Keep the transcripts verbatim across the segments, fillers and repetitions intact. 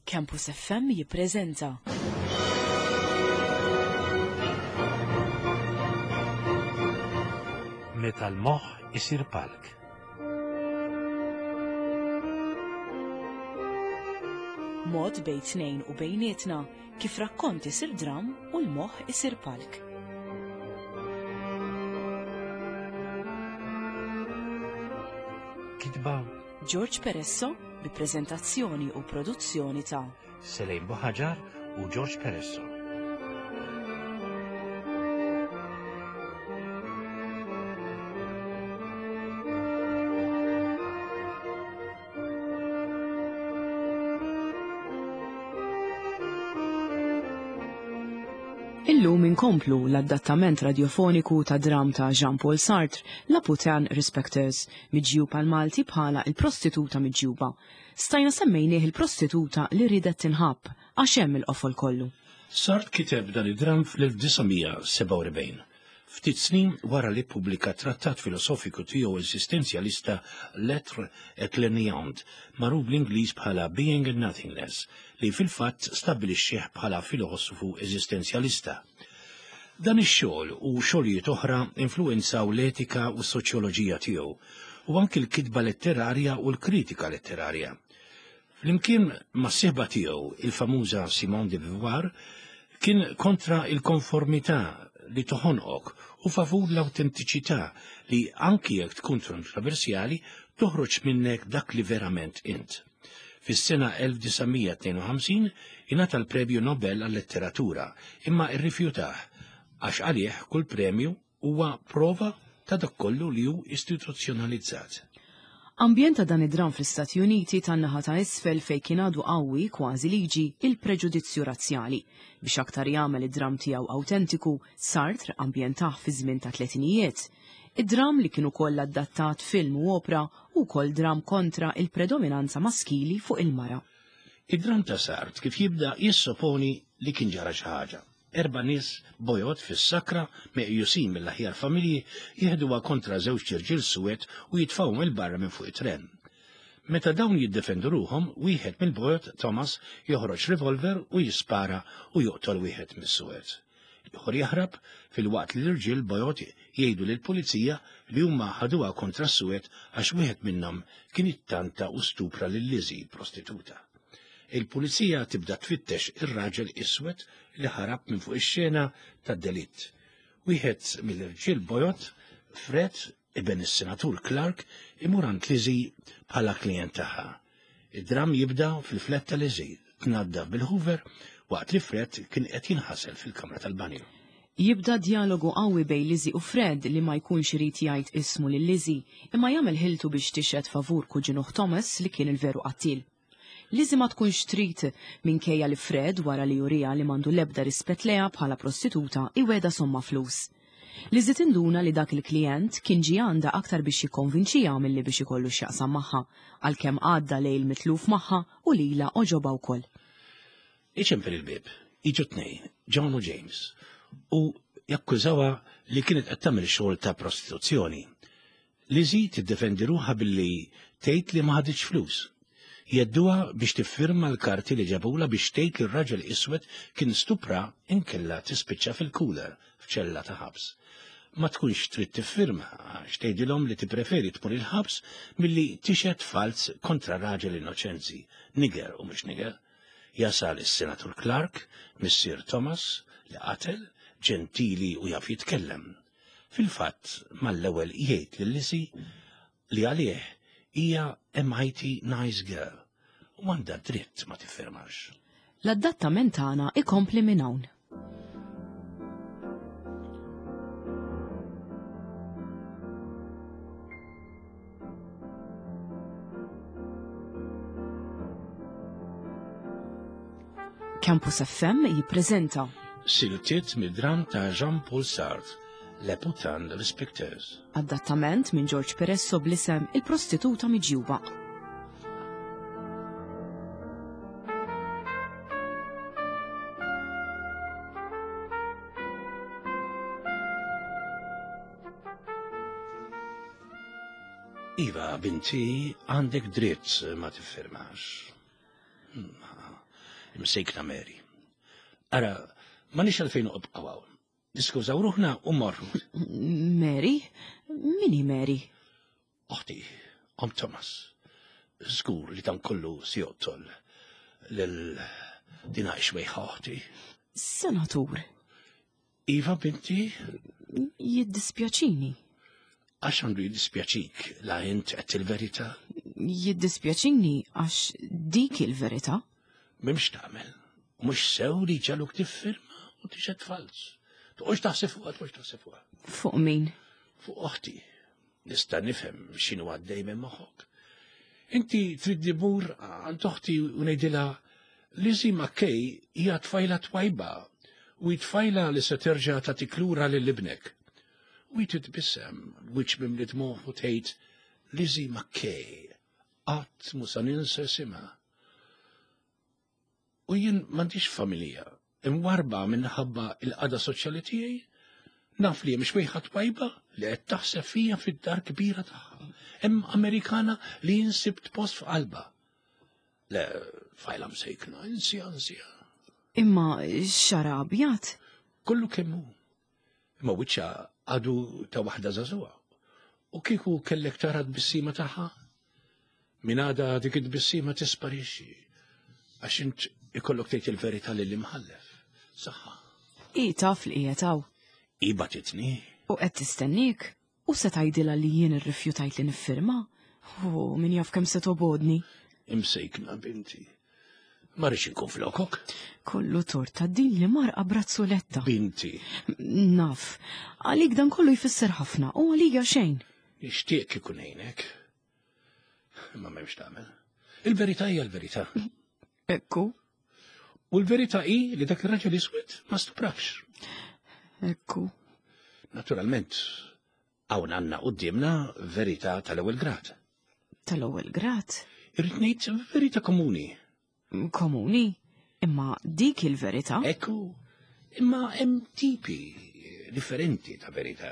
Campus F M jippreżenta Meta l-moħħ isir palk. Mod bejn tnejn u bejnietna kif rakkont isir dram u l-moħħ isir palk. Kitba George Peresso bi prezentazzjoni u produzzjoni ta' Selejn Buħaġar u George Peresso. Illum inkomplu l-adattament radiofoniku ta' dram ta' Jean-Paul Sartre, La Putain Respecteuse, miġjub għal Malti bħala il-prostituta miġjuba. Stajna semmejnieh il-prostituta li ridet tinħabb, għax hemm il-qofol kollu. Sartre kiteb dan id-dram fl-elf disa' mija sebgħa u erbgħin, ftit snin wara li ppubblika trattat filosofiku tiegħu eżistenzjalista L'être et le néant, magħruf bl-Ingliż bħala Being and Nothingness, li fil-fatt stabbilixxih bħala filosofu eżistenzjalista. Dan ix-xogħol u xogħlijiet oħra influwenzaw l-etika u s-soċjoloġija tiegħu, u anki l-kitba letterarja u l-kritika letterarja. Flimkien mas-sieħba tiegħu, il-famuża Simone de Beauvoir, kien kontra il-konformità li toħonqok u favur l-autentiċità li anki jekk tkun kontroversjali toħroġ minnek dak li verament int. Fis-sena elf disa' mija tnejn u ħamsin ingħata l-Premju Nobel għal-Letteratura, imma rrifjutah għax għalih kull premju huwa prova ta' dak kollu li hu istituzzjonalizzat. Ambjent ta' dan id-dram fl-Istati Uniti tan-naħa ta' isfel fejn kien għadu qawwi kważi liġi il-preġudizzju razzjali. Biex aktar jagħmel id-dram tiegħu awtentiku, Sartre ambjentah fi żmien ta' tletinijiet. Id-dram li kien ukoll adattat film u opra u wkoll dram kontra il-predominanza maskili fuq il-mara. Id-dram ta' Sartre kif jibda jissoponi li kien ġara xi ħaġa. Erba' nies bojod fis-sakra meqjusin mill-aħjar familji jieħduha kontra żewġ irġiel suwed u jitfgħuhom il barra minn fuq it-tren. Meta dawn jiddefendu ruhom, wieħed mill-bojod, Thomas, joħroġ revolver u jispara u joqtol wieħed mis-suwed. Ieħor jaħrab filwaqt li l-irġiel bojod jgħidu lill-pulizija li huma ħaduha kontra s-suwed għax wieħed minnhom kien ittanta u stupra lil Lizzie, prostituta. Il-pulizija tibda tfittex ir-raġel iswed li ħarab minn fuq ix-xena tad-delitt. Wieħed mill-irġiel bojod, Fred, iben is-senatur Clark, imur għand Lizzie bħala klient tagħha. Id-dram jibda fil-flett ta' Lizzie, tnaddaf bil-Hoover waqt li Fred kien qed jinħasel fil-kamra tal-banju. Jibda dialogu qawwi bejn Lizzie u Fred li ma jkunx irid jgħid ismu lil Lizzie, imma jagħmel ħiltu biex tixhed favur kuġinuh Thomas li kien il-veru qattil. Lizzie ma tkunx trid minkejja li Fred wara li jurija li m'għandu l-ebda rispett lejha bħala prostituta iweda somma flus. Lizzie tinduna li dak il-klient kien ġie għandha aktar biex jikkonvinċiha milli biex ikollu x'jaqsam magħha, għalkemm għadda lejl mitluf magħha u lilha oġobha wkoll. Iċempel il-bieb, jiġu tnejn, John u James, u jakkużawha li kienet qed tagħmel xogħol ta' prostituzzjoni. Lizzie tiddefendi ruħha billi tgħid li ma ħaditx flus. Jedduha biex tiffirma l-karti li ġabula biex tgħid li r-raġel iswed kien stupra inkella tispiċċa fil-cooler f'ċella ta' ħabs. Ma tkunx trid tiffirma għax tgħidilhom li tippreferi tmur il-ħabs milli tixhed falz kontra raġel innoċenzi, niger u mhux niger. Jasal is-Senatur Clark, missier Thomas, li qatel, ġentili u jaf jitkellem. Fil-fatt, mal-ewwel jgħid lil Lizzie li għalih hija a mighty nice girl u għandha dritt ma tiffirmax. L-adattament tagħna ikompli minn hawn. Campus F M jippreżenta Siltiet mid-dram ta' Jean-Paul Sartre, Le Putain Respecteuse. Adattament minn George Peresso bl-isem Il-Prostituta Miġjuba. Iva, binti, għandek dritt ma tiffirmax. Ma, Imsejkna Mary. Ara, ma nix għalfejn uqbqaw hawn. Niskużaw ruħna u morru. Mary? Min hi Mary? Oħti, om Thomas. Żgur li dan kollu si joqtol lil dina xwejħa oħti. Senatur. Iva, binti? Jiddispjaċini. Għax għandu jiddispjaċik la int qed il-verità? Jiddispjaċini għax dik il-verità. M'hemmx tagħmel. Mhux sew li ġaluk tiffirma u tixed fals. Toqgħodx taħseb fuqha, toqgħodx taħseb fuqha. Fuq min? Fuq oħti. Nista' nifhem x'inhu għaddej minn moħħok. Inti trid dimur għand oħti u ngħidilha Lizzie McKay hija tfajla twajba u tfajla li se terġa' tagħtik lura lil ibnek. U titbissem wiċċ mimli dmugħ u tgħid Lizzie McKay qatt mhu sa ninsa isimha. U jien m'għandix familja, imwarba minħabba il-qagħda soċjali tiegħi, naf li hemm xwejħa twajba li qed taħseb fija fid-dar kbira tagħha. Hemm Amerikana li jien sibt post f'qalba. Le, fajla msejkna, insija, insija. Imma xara abjad? Kollu kemm hu. Imma wiċċha għadu ta' waħda żagħżugħa. U kieku kellek tara t-tbissima tagħha? Min għada dik it-tbissima tisparixxi. Għax int ikollok tgħid il-verità lil imħallef. Saħħa. I taf li qiegħed hawn. I bagħtitni. U qed tistennik. U se tgħidilha li jien irrifjutajt li niffirma. U min jaf kemm se tobodni. Imsejkna binti. Ma rridx inkun flokok. Kollu tort ta' din li marqa brazzoletta. Binti. Naf, għalik dan kollu jfisser ħafna u għalija xejn. Nixtieq kieku ngħinek. Imma m'hemmx tagħmel. Il-verità hija l-verità. Ekku. U l-verità hi li dak ir-raġel iswed ma stuprakx. Ekku. Naturalment, hawn għandna quddiemna verità tal-ewwel grad. Tal-ewwel grad? Irrid ngħid verità komuni. Komuni? Imma dik il-verità? Ekku, imma hemm tipi differenti ta' verità.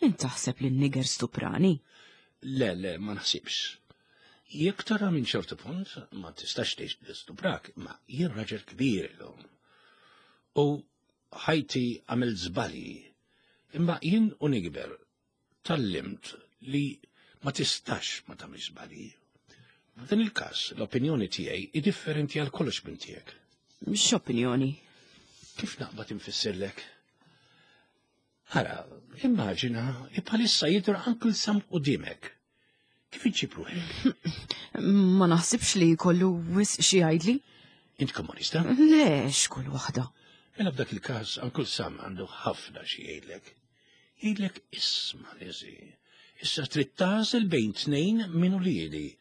Int taħseb li n-niger stuprani? Le, le, ma naħsibx. Jekk tara minn ċertu punt, ma tistax tgħid li stuprak, ma jien raġel kbir illum. U ħajti għamel żbalji, imma jien u nikber tgħallimt li ma tistax ma tagħmel żbalji. F'dan il-każ, l-opinjoni tiegħi hi differenti għal kollox minn tiegħek. X'opinjoni? Kif naqbad infissirlek? Ara, immaġina, bħalissa jidher Uncle Sam quddiemek. Kif iġġib ruħek? Ma naħsibx li jkollu wisq xi jgħidli. Int komunista? Le, x'kull waħda. Mela f'dak il-każ Uncle Sam għandu ħafna xi jgħidlek. Jgħidlek isma' Lizzie. Issa trid tagħżel bejn tnejn minn uliedi.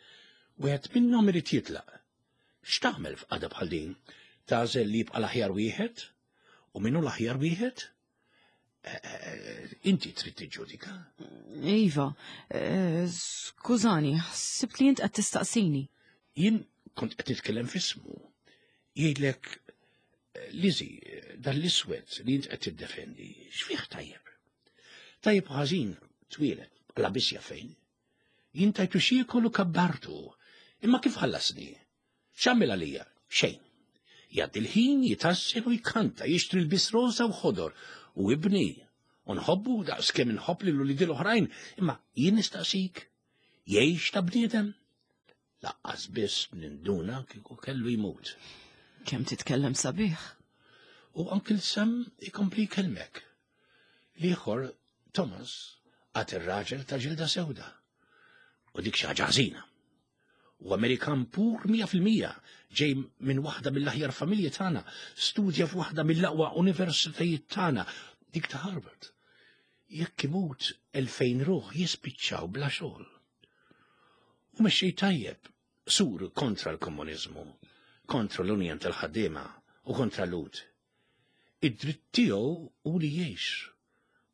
Wieħed minnhom irid jitlaq. X'tagħmel f'qagħda bħal din? Tagħżel li jibqa' l-aħjar wieħed? U min hu l-aħjar wieħed? Inti trid tiġġudika. Iva, skużani, ħsibt li int qed tistaqsini. Jien kont qed nitkellem f'ismu. Jgħidlek, Lizzie, dan l-iswed li int qed tiddefendi, x'fih tajjeb? Tajjeb ħażin twieled, la biss fejn. Jien tajtu x'jiekol u kabbartu, imma kif ħallasni? X'għamel għalija? Xejn. Jgħaddi l-ħin jitassel u jkanta, jixtri l-bis rosa u ħodor, u ibni, u nħobbu daqs kemm inħobb lil uliedi l-oħrajn, imma jien nistaqsik, jgħix ta' bniedem? Laqqas biss ninduna kieku kellu jmut. Kemm titkellem sabiħ. U Uncle Sam ikompli jkellmek. L-ieħor, Thomas, għad ir-raġel ta' ġilda sewda. U dik xi ħaġa ħażina. U Amerikan pur mija fil-mija, ġej minn waħda mill-aħjar familji tagħna, studja f'waħda mill-aqwa universitajiet tagħna, dik ta' Harvard. Jekk imut elfejn ruħ jispiċċaw bla xogħol. U mexxej tajjeb, sur kontra l-komuniżmu, kontra l-Unjon tal-ħaddiema u kontra l-Lhud. Id-dritt tiegħu hu li jgħix,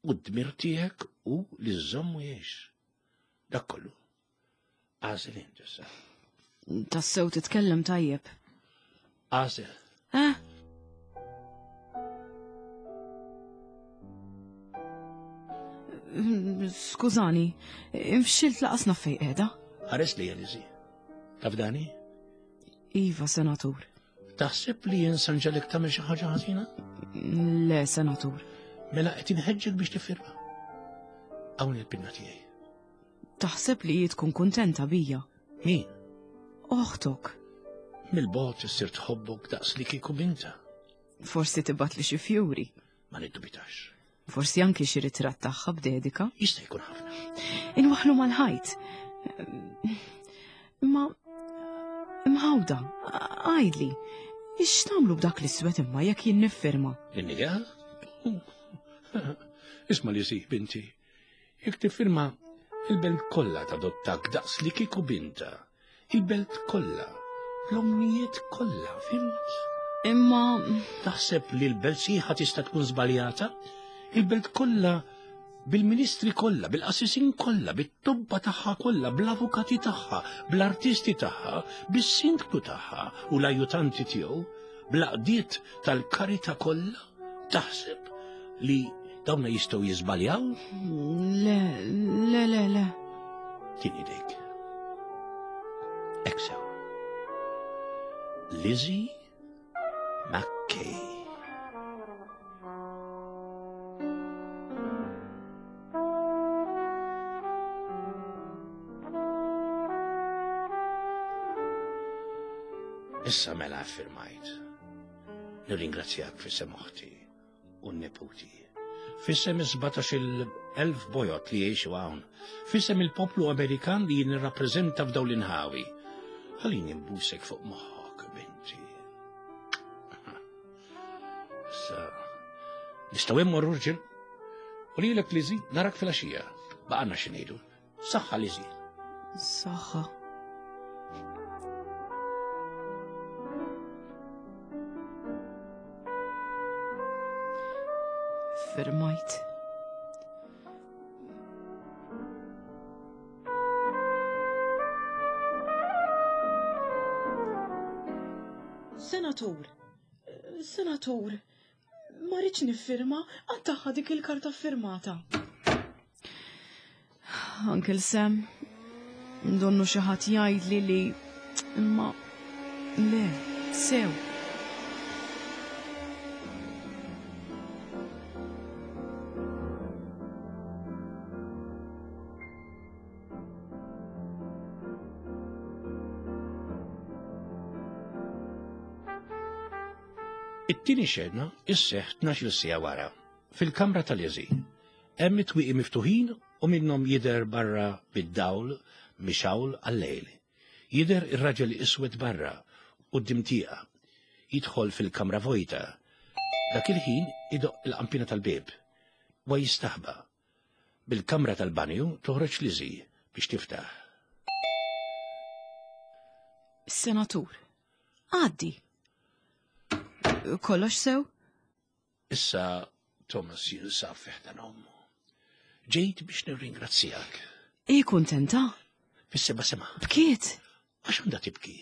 u d-dmir tiegħek hu li żżommu jgħix. Dak kollu. Għażel int issa. Tassew titkellem tajjeb. Għażel. Eh? Skużani, infxilt laqasna fej qiegħda. Ħares li Lizzie. Taf dani? Iva, senatur. Taħseb li jien se nġegħlek tagħmel xi ħaġa ħażina? Le, senatur. Mela qed inħeġġek biex tiffirma. Hawn il-pinna tiegħi. Taħseb li hi tkun kuntenta bija? Min? Oħtok. Mill-bogħod issir tħobbok daqs li kieku binta. Forsi tibgħatli xi fjuri. Ma niddubitax. Forsi anki xi ritratt tagħha b'dedika. Jista' jkun ħafna. Inwaħħlu mal-ħajt. Imma imħawda, għidli, x'tagħmlu b'dak l-iswed imma jekk jien niffirma? In-nigga? Isma' Lizzie, binti. Jekk tiffirma, il-belt kollha tadottak daqs li kieku binta. Il-belt kollha, l-omnijiet kollha, fhimt? Imma Taħseb li l-belt sħiħa tista' tkun żbaljata? Il-belt kollha bil-ministri kollha, bil-qassisin kollha, bit-tobba tagħha kollha, bl-avukati tagħha, bl-artisti tagħha, bis-sindku tagħha u l-ajutanti tiegħu, bl-għaqdiet tal-karità kollha, taħseb li dawna jistgħu jiżbaljaw? Le, le, le, le. Tini idejk. Hekk sew. Lizzie McKay. Issa mela affirmajt. Nirringrazzjak f'isem oħti u n-neputi. F'isem is-sbatax-il elf bojot li jgħixu hawn. F'isem il-poplu Amerikan li nirrappreżenta f'dawn l-inħawi. Ħallini nbusek fuq moħħok, binti. Issa, nistgħu immorru rġiel? U lilek Lizzie, narak fil-għaxija. Baqgħalna xi ngħidu. Saħħa Lizzie. Saħħa. Firmajt. Senatur, senatur, ma rridx niffirma, għattaħħa dik il-karta firmata. Uncle Sam, donnu xi ħadd jgħidli li imma le, sew. It-tieni xena isseħħ tnax-il siegħa wara, fil-kamra tal-Lizzie. Hemm it-twieqi miftuħin u minnhom jidher barra bid-dawl mixawl għal-lejl. Jidher ir-raġel iswed barra quddiem tieqa. Jidħol fil-kamra vojta. Dak il-ħin idoq il-qampina tal-bieb. Wa jistaħba. Bil-kamra tal-banju toħroġ Lizzie biex tiftaħ. Senatur, għaddi. Kollox sew? Issa Thomas jinsab fi ħdan ommu. Ġejt biex nirringrazzjak. I kuntenta? Fis-seba' sema. Bkiet? Għax għandha tibki.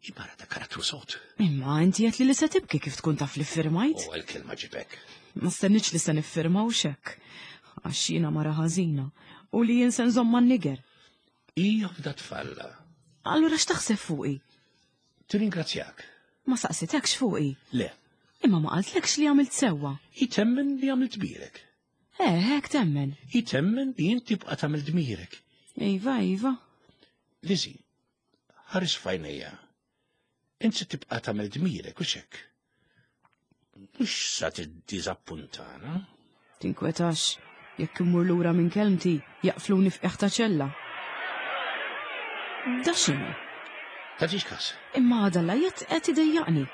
Imara ta' karattru sod. Imma inti qed li li se tibki kif tkun taf li firmajt? U għal-kelma ġibek. Ma stennitx li se niffirma u xekk. Għax jiena mara ħażina u li jien se nżomm man-niger. Hija fda tfalla. Allura x'taħseb fuqi? Tirringrazzjak. Ma saqsitekx fuqi? Le. Imma ma qaltlekx li għamilt sewwa. Hi temmen li għamilt dmirek. Eh, hekk temmen. Hi temmen li inti tibqa' tagħmel dmirek. Iva, iva. Lizzie, ħares f'għajnejja. Int se tibqa' tagħmel dmirek u x'hekk. Mhux sa tiddiżappuntana. Tinkwetax, jekk immur lura minn kelmti, jaqfluni f'qiegħ ta' ċella. Da x'inhu? Tagħtix każ. Imma għadha l-għajat qed idejjaqni.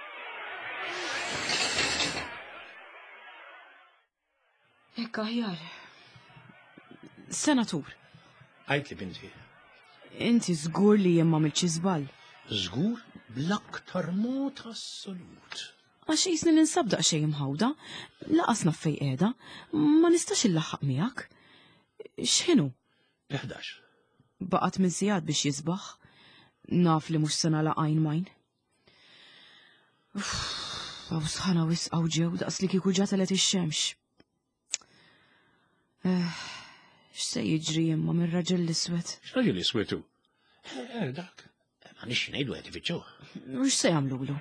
Hekk aħjar. Senatur. Għidli binti. Inti żgur li jien m'għamiltx żball. Żgur bl-aktar mod assolut. Għax qisni ninsab daqsxejn imħawda, laqas naf fejn qiegħda, ma nistax illaħħaq miegħek. X'inhu? L-ħdax. Baqgħet minn sigħat biex jisbaħ. Naf li mhux se nagħlaq għajn majn. Uff, għaw sħana wisq għaw ġew daqs li kieku ġa telet ix-xemx. Eh, x'se jiġri imma mir-raġel l-iswed? X'raġel iswed hu? Eh, dak, Għanix ngħidu qed ifittxuh. U x'se jagħmlulu?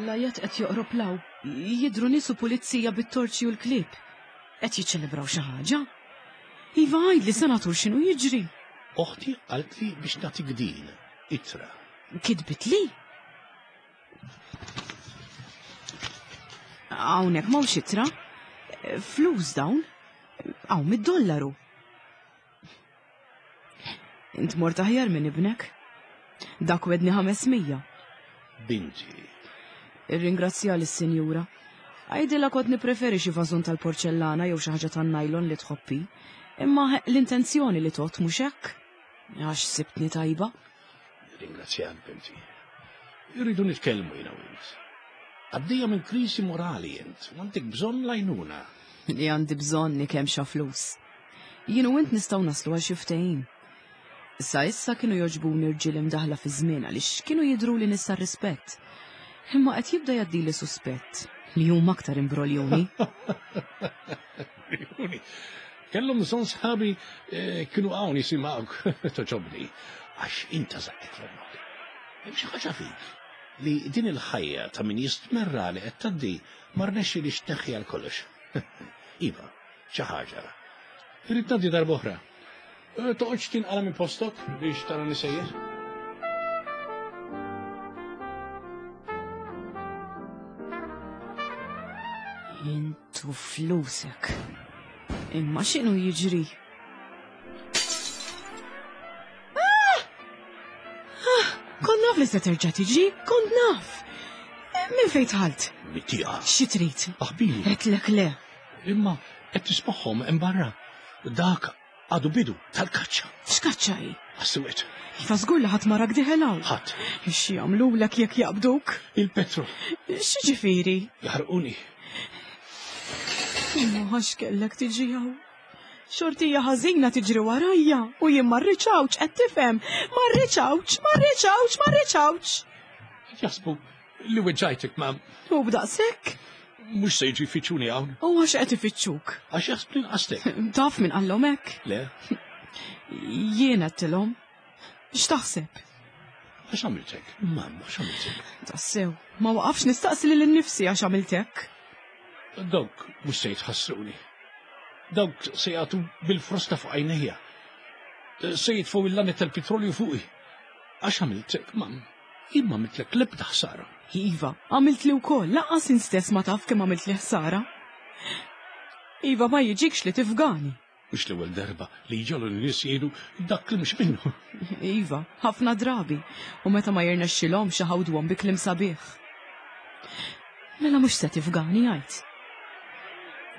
L-ajat qed joqrob law, jidhru nies u pulizija bit-torċi u l-klieb. Qed jiċċelebraw xi ħaġa. Iva għidli senatur x'inhu jiġri. Oħti qaltli biex nagħtik din, ittra. Kitbit li? Hawnhekk m'hawnx ittra. Flus dawn. Hawn mid-dollaru. Int mort aħjar minn ibnek. Dak wedni ħames mija. Binti. Irringrazzja lis-sinjura. Għidilha kont nippreferi xi vażun tal-porċellana jew xi ħaġa tan-nylon li tħobbi. Imma l-intenzjoni li tot mhux hekk. Għax sibtni tajba. Ringrazzjak, binti. Irridu nitkellmu jiena u int. Għaddejja minn kriżi morali int, u għandek bżonn l-għajnuna. Li għandi bżonn kemm xa flus. Jien u int nistgħu naslu għal xi ftehim. Sa issa kienu jogħġbuni rġiel imdaħla fi żmien għaliex kienu jidhru li nista' rispett. Imma qed jibda jgħaddili suspett li huma aktar imbroljuni. Imbroljuni. Kellhom bżonn sħabi kienu hawn jisimgħuk toġobni għax inta żaqqek f'għonqok. Hemm xi ħaġa fik li din il-ħajja ta' min jistmerra li qed tgħaddi ma rnexxilix tneħħi għal kollox. Iva, xi ħaġa. Irrid ngħaddi darb'oħra. Toqgħodx tinqala minn postok biex tara nisejjer. Intu flusek. Imma x'inhu jiġri? Ah! Ah! Kont naf li se terġa' tiġi, kont naf. Minn fejn tħalt? Mittieqa. Xi trid? Aħbili. Qedlek le. Imma qed tismagħhom hemm barra. Dak għadu bidu tal-kaċċa. X'kaċċa hi? Għas-suwed. Iva żgur li ħadd marak diħel hawn. Ħadd. Xi jagħmlulek jekk jaqbduk? Il-petrol. X'ġifieri? Jaħarquni. Imma għax kellek tiġi hawn. Xortija ħażina tiġri warajja u jien ma rridx hawnx qed tifhem. Ma rridx hawnx, ma rridx hawnx, ma rridx hawnx. Jaħsbu li weġġajtek ma. U b'daqshekk? Mhux se jiġi jfittxuni hawn. U għax qed ifittxuk? Għax jaħsbu li nqastek. Taf min qallhom hekk? Le. Jien għedtilhom. X'taħseb? Għax għamiltek? Mamma, għax għamiltek? Tassew, ma waqafx nistaqsi lil innifsi għax għamiltek. Dawk mhux se jitħassruni. Dawk se jagħtu bil-frosta fuq għajnejja. Se jitfgħu il-lanet tal-petrolju fuqi. Għax għamiltek, mam. Jien ma għamiltlek l-ebda ħsara. Iva, għamilt li wkoll, lanqas stess ma taf kemm għamilt li ħsara. Iva, ma jiġikx li tifgani. Mhux l-ewwel darba li jġolu n-nies jgħidu dak li mhux minnu. Iva, ħafna drabi, u meta ma jirnexxilhomx iħawduhom bi kliem sabiħ. Mela mhux se tifgani għid.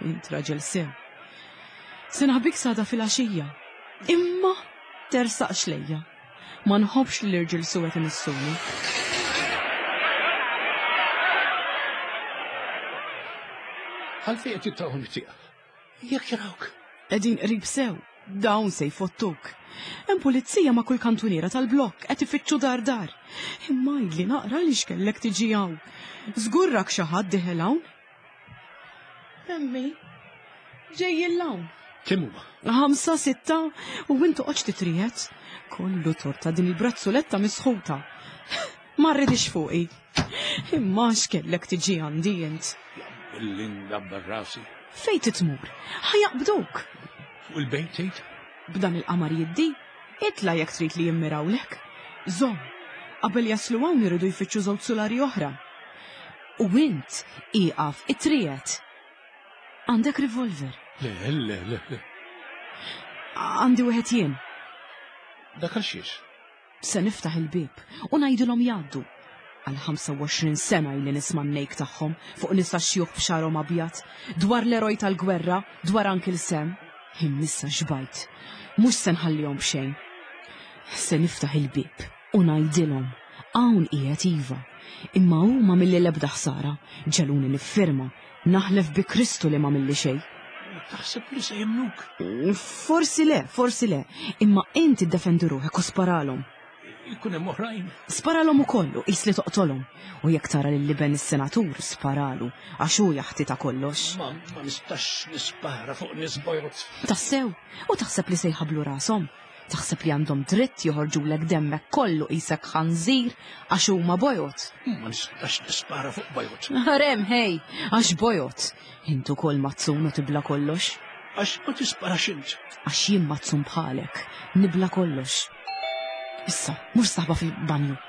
Int raġel sew. Se naħbik sada fil-għaxija. Imma tersaqx lejja. Ma nħobbx li l-irġiel suwed imissuni. Għalfejn qed jittawhom it-tieqa? Jekk jarawk. Qegħdin qrib sew, dawn se jfottuk. Hemm pulizija ma' kull kantuniera tal-blokk qed ifittxu dar dar. Imma għidli naqra li x'kellek tiġi hawn. Żgurrak xi ħadd diħel hawn? Emmi, ġejjin hawn. Kemm huma? Ħamsa, sitta, u int toqgħodx titrijet. Kollu torta din il-brazzuletta misħuta. Ma rridix fuqi. Imma x'kellek tiġi għandi int? Linda barrasi. Fejn titmur? Ħajaqbduk. Fuq il-bejt tgħid? B'dan il-qamar jiddi, itla jekk trid li jimmirawlek. Żomm, qabel jaslu hawn iridu jfittxu żewġ sulari oħra. U int ieqaf it-trijet. Għandek revolver? Le, le, le, le. Għandi wieħed jien. Dak għal xiex? Se niftaħ il-bieb u ngħidilhom jgħaddu. Għal ħamsa u għoxrin sena ili nisma' n-nejk tagħhom fuq nisa xjuħ b'xarhom abjad, dwar l-eroj tal-gwerra, dwar Uncle Sam. Immissa xbajt, mhux se nħallihom b'xejn. Se niftaħ il-bieb u ngħidilhom hawn qiegħed iva, imma huma milli l-ebda ħsara, ġeluni niffirma, naħlef bi Kristu li ma milli xejn. Taħseb li se jemnuk? Forsi le, forsi le, imma inti ddefendi ruħek u sparalhom. Ikun hemm oħrajn. Sparalhom ukoll u qis li toqtolhom. U jekk tara lil liben is-senatur, sparalu, għax hu jaħti ta' kollox. Ma, ma nistax nispara fuq nies bojod. Tassew, u taħseb li se jħablu rashom. Taħseb li għandhom dritt joħorġulek demmek kollu qisek ħanżir għax huma bojod. Ma nistax nispara fuq bojod. Rem, hej, għax bojod. Intu kol mazzun u tibla kollox. Għax ma tisparax int. Għax jien mazzun bħalek, nibla kollox. Issa, mhux saħba fil-banju.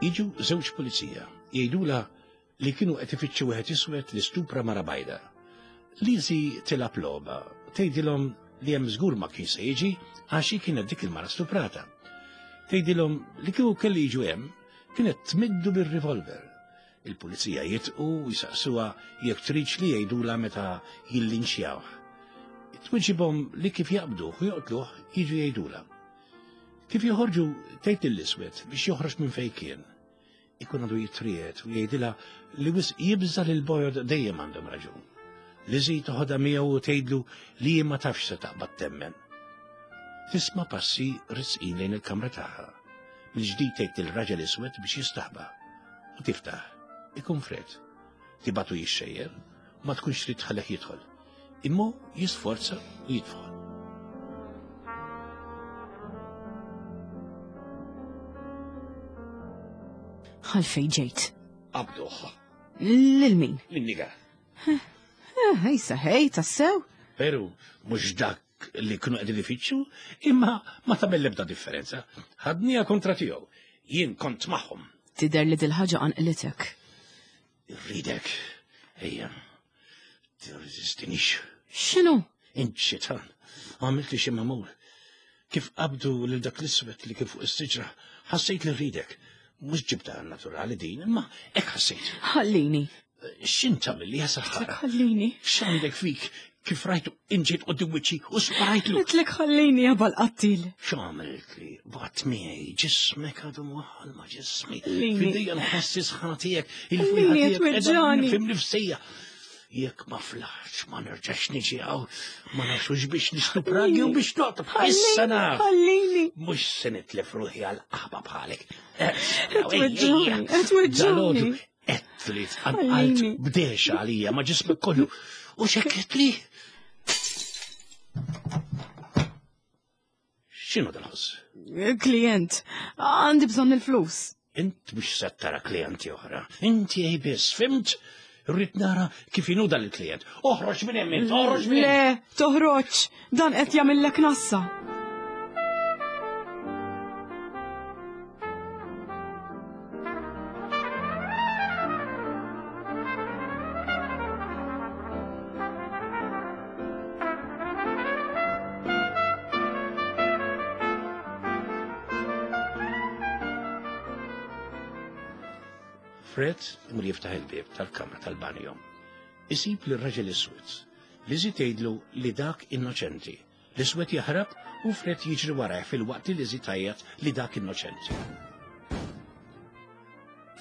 Jiġu żewġ pulizija, jgħidula li kienu qed ifittxu wieħed iswed li stupra mara bajda. Lizzie tilgħab logħba, tgħidilhom li hemm żgur ma kien se jiġi għax hi kienet dik il-mara stuprata. Tgħidilhom li kieku kelli jiġu hemm kienet tmiddu bir-revolver. Il-pulizija jitqu u jsaqsuha jekk tridx li jgħidula meta jillinxjawh. Twiġibhom li kif jaqbduh u joqtluh jiġu jgħidula. Kif joħorġu tgħid lill-iswed biex joħroġ minn fejn kien. Ikun għadu jitriet u jgħidilha li wisq jibża' lil bojod dejjem għandhom raġun. Lizzie toħodha miegħu u tgħidlu li ma tafx se taqbad temmen. Tisma' passi risqin lejn il-kamra tagħha. Mill-ġdid tgħid lil-raġel iswed biex jistaħba. U tiftaħ. Ikun Fred. Tibatu jixxejjer, ma tkunx trid tħallih jidħol. Imma jisforza u jidħol. Għalfejn ġejt? Qabduh. Lil min? Lin-niga. Ejsa, hej, tassew? Veru, mhux dak li kienu qegħdin ifittxu, imma ma tagħmel l-ebda differenza. Ħadniha kontra tiegħu. Jien kont magħhom. Tidher li dil-ħaġa qanqlitek. Irridek. Ejja, tirreżistinix. X'inhu? Int xitan, għamilt li xi magħmul. Kif qabdu lil dak l-iswed li kien fuq is-siġra, ħassejt li rridek. Mhux ġibta naturali din, imma hekk ħassejt. Ħallini. X'int tagħmel li saħħara? Ħallini. X'għandek fik? Kif rajtu inġiet quddiem wiċċi u sparajtlu. Għedtlek ħallini ja bal-qattil. X'għamilt li? Baqgħet miegħi, ġismek għadu mwaħħal ma' ġismi. Ħallini. Fidejja nħoss is-sħana tiegħek, Ħallini, il-fwieħa tiegħek qiegħda tweġġani. fim nifsija. Jekk ma flaħx ma nerġax niġi hawn, ma nafx hux biex nistupragi u biex noqtol. Issa naf. Ħallini. Mhux se nitlef ruħi għal qaħba bħalek. Tweġġani, tweġġani. Qed li tqanqalt bdex għalija ma' ġismek kollu. U xekkitli. X'inhu dal-ħoss? Klient, għandi bżonn il-flus. Int mhux se tara klijenti oħra. Inti ej biss, fimt? Rrid nara kif inhu dan il-klient. Oħroġ minn hemm int, oħroġ minn hemm. Le, toħroġ, dan qed jagħmillek nassa. Fred imur jiftaħ il-bieb tal-kamra tal-banjo. Isib li raġel iswed. Lizzie tgħidlu li dak innoċenti. L-iswed jaħrab u Fred jiġri warajh fil-waqt li Lizzie tgħajjat li dak innoċenti.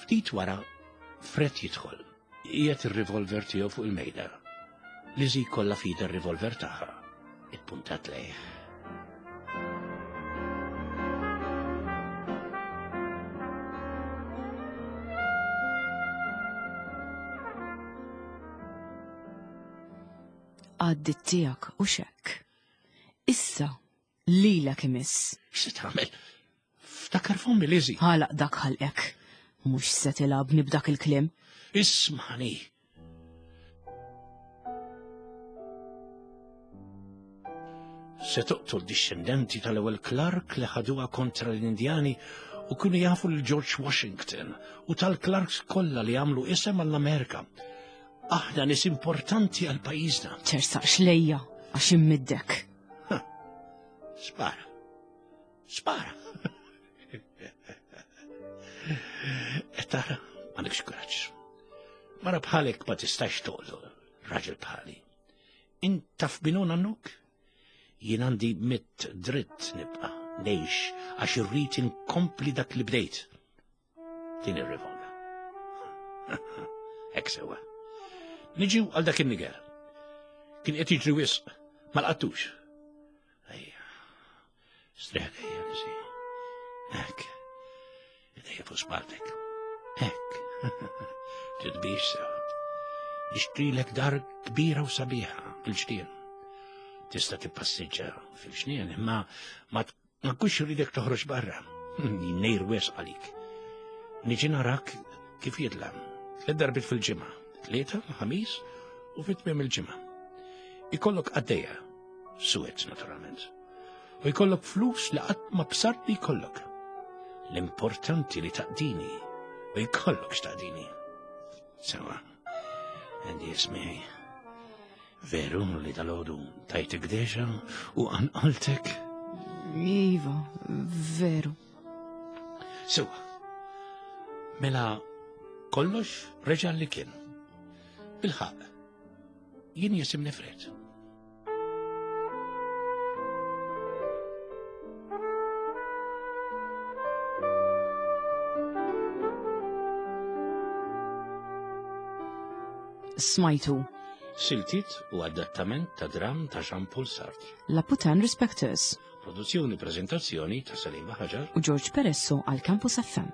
Ftit wara, Fred jidħol. Qiegħed ir-revolver tiegħu fuq il-mejda. Lizzie kollha fida r-revolver tagħha. Ippuntat lejh. Għaddit tiegħek u xekk. Issa, lilek imiss. X'se tagħmel? Ftakar fommi Lizzie. Ħalaq dak ħalqek. Mhux se tilgħabni b'dak il-kliem. Ismani. Se toqtol dixxendenti tal-ewwel Clark li ħaduha kontra l-Indjani u kienu jafu lil George Washington u tal-Clarks kollha li għamlu isem għall-Amerika. Aħna nies importanti għal pajjiżna. Tersaqx lejja għax immiddek. Spara. Spara. E tara, m'għandekx kuraġġ. Mara bħalek ma tistax toqtol raġel bħali. Int taf binu nannuk? Jien għandi mitt dritt nibqa' ngħix għax irrid inkompli dak li bdejt. Din ir-rivolga. Hekk sewwa. Niġu għal dak in-niger. Kien qed jiġri wisq, Ma laqtux. Ejja. Strieħ ejja, Lizzie. Hekk. Idejja fuq spalltek. Hekk. Titbix sew. Nixtrilek dar kbira u sabiħa fil-ġnien. Tista' tippassiġġa fil-ġnien, imma ma ma nkunx irridek toħroġ barra. Nejr wes għalik. Niġi narak kif jidlam. Tliet darbiet fil-ġimgħa. Tlieta, ħamis u fit-tmiem il-ġimgħa. Ikollok qaddejja, suwed naturalment. U jkollok flus li qatt ma bsart li jkollok. L-importanti li taqdini u jkollok x'taqdini. Sewa, għandi ismiħi. Veru li dalgħodu tajtek deġa u għanqaltek? Iva, veru. Sewa, mela kollox reġa' li kien. Bilħaqq, jien jisimni Fred. Smajtu. Siltiet u adattament ta' dram ta' Jean-Paul Sartre. La Putain Respecteurs Produzzjoni prezentazzjoni ta' Salim Ħaġar u George Peresso għal Campus F M.